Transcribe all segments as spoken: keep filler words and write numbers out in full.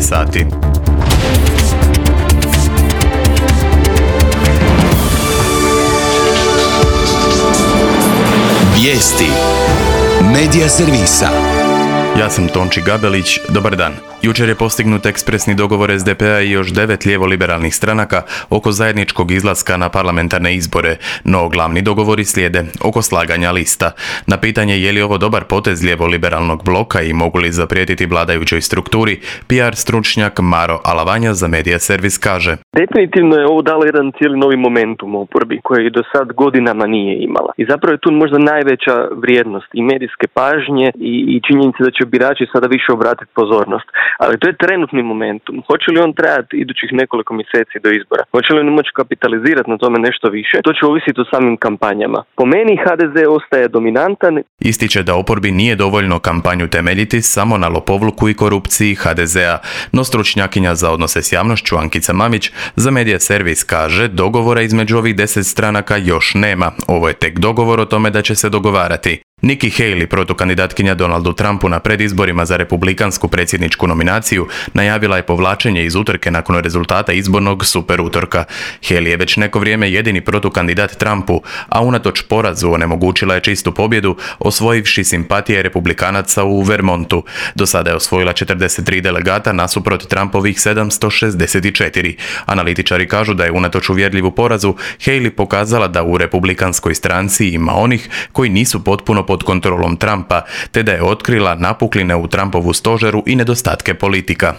dvanaest sati. Vijesti Medija servisa. Ja sam Tonči Gabelić, dobar dan. Jučer je postignut ekspresni dogovor es de pe a i još devet lijevo-liberalnih stranaka oko zajedničkog izlaska na parlamentarne izbore, no glavni dogovori slijede oko slaganja lista. Na pitanje je li ovo dobar potez lijevo-liberalnog bloka i mogu li zaprijetiti vladajućoj strukturi, pe er stručnjak Maro Alavanja za Medija servis kaže: Definitivno je ovo dalo jedan cijeli novi momentum oporbi koji do sad godinama nije imala. I zapravo je tu možda najveća vrijednost i medijske pažnje i, i činjenica da će birači sada više obratiti pozornost. Ali to je trenutni momentum. Hoće li on trajati idućih nekoliko mjeseci do izbora? Hoće li on moći kapitalizirati na tome nešto više? To će ovisiti o samim kampanjama. Po meni ha de ze ostaje dominantan. Ističe da oporbi nije dovoljno kampanju temeljiti samo na lopovluku i korupciji ha de ze a, no stručnjakinja za odnose s javnošću Ankica Mamić za Medija servis kaže: dogovora između ovih deset stranaka još nema. Ovo je tek dogovor o tome da će se dogovarati. Nikki Haley, protukandidatkinja Donaldu Trumpu na predizborima za republikansku predsjedničku nominaciju, najavila je povlačenje iz utrke nakon rezultata izbornog super utorka. Haley je već neko vrijeme jedini protukandidat Trumpu, a unatoč porazu onemogućila je čistu pobjedu, osvojivši simpatije republikanaca u Vermontu. Do sada je osvojila četrdeset tri delegata nasuprot Trumpovih sedamsto šezdeset četiri. Analitičari kažu da je unatoč uvjerljivu porazu Haley pokazala da u republikanskoj stranci ima onih koji nisu potpuno pod kontrolom Trumpa, te da je otkrila napukline u Trumpovu stožeru i nedostatke politika.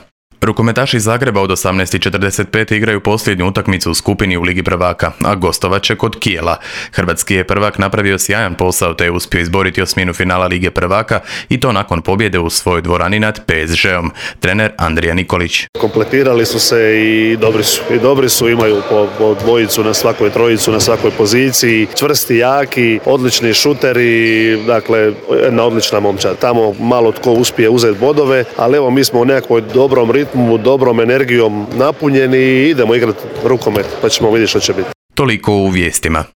Rukometaši Zagreba od osamnaest i četrdeset pet igraju posljednju utakmicu u skupini u Ligi prvaka, a gostovat će kod Kijela. Hrvatski je prvak napravio sjajan posao te je uspio izboriti osminu finala Lige prvaka i to nakon pobjede u svojoj dvorani nad pe es žeom. Trener Andrija Nikolić: kompletirali su se i dobri su. I dobri su, imaju po, po dvojicu na svakoj, trojicu na svakoj poziciji, čvrsti, jaki, odlični šuteri, dakle jedna odlična momčad. Tamo malo tko uspije uzeti bodove, ali evo mi smo u nekakvoj dobrom ritmu, dobrom energijom napunjeni i idemo igrati rukomet, pa ćemo vidjeti što će biti. Toliko u vijestima.